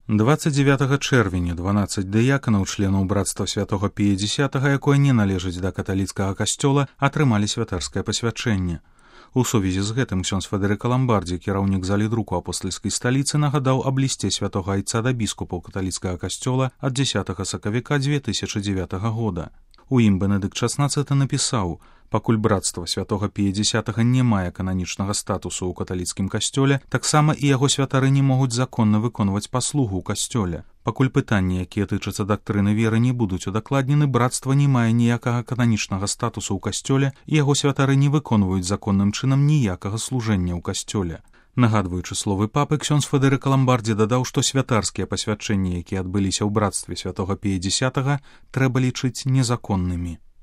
29 чэрвеня 12 дыяканаў, членаў брацтва святога Пія X, якое не належыць да каталіцкага касцёла, атрымалі святарскае пасвячэнне. У сувязі з гэтым ксёндз Федэрыка Ламбардзі, кіраўнік залі друку апостальскай сталіцы, нагадаў аб лісце святога айца да біскупаў каталіцкага касцёла ад 10 сакавіка 2009 года. У ім Бенедыкт XVI напісаў: «Пакуль брацтва святога Пія X не мае кананічнага статусу ў каталіцкім касцёле, таксама і яго святары не могуць законна выконваць паслугу ў касцёле. Пакуль пытанні, якія тычацца дактрыны веры, не будуць удакладнены, брацтва не мае ніякага кананічнага статусу ў касцёле, і яго святары не выконваюць законным чынам ніякага служэння ў касцёле». Нагадваючы словы папы, ксёндз Федэрыка Ламбардзі дадаў, што святарскія пасвячэнні, якія адбыліся ў брацтве святога Пія X, трэба лічыць незаконнымі.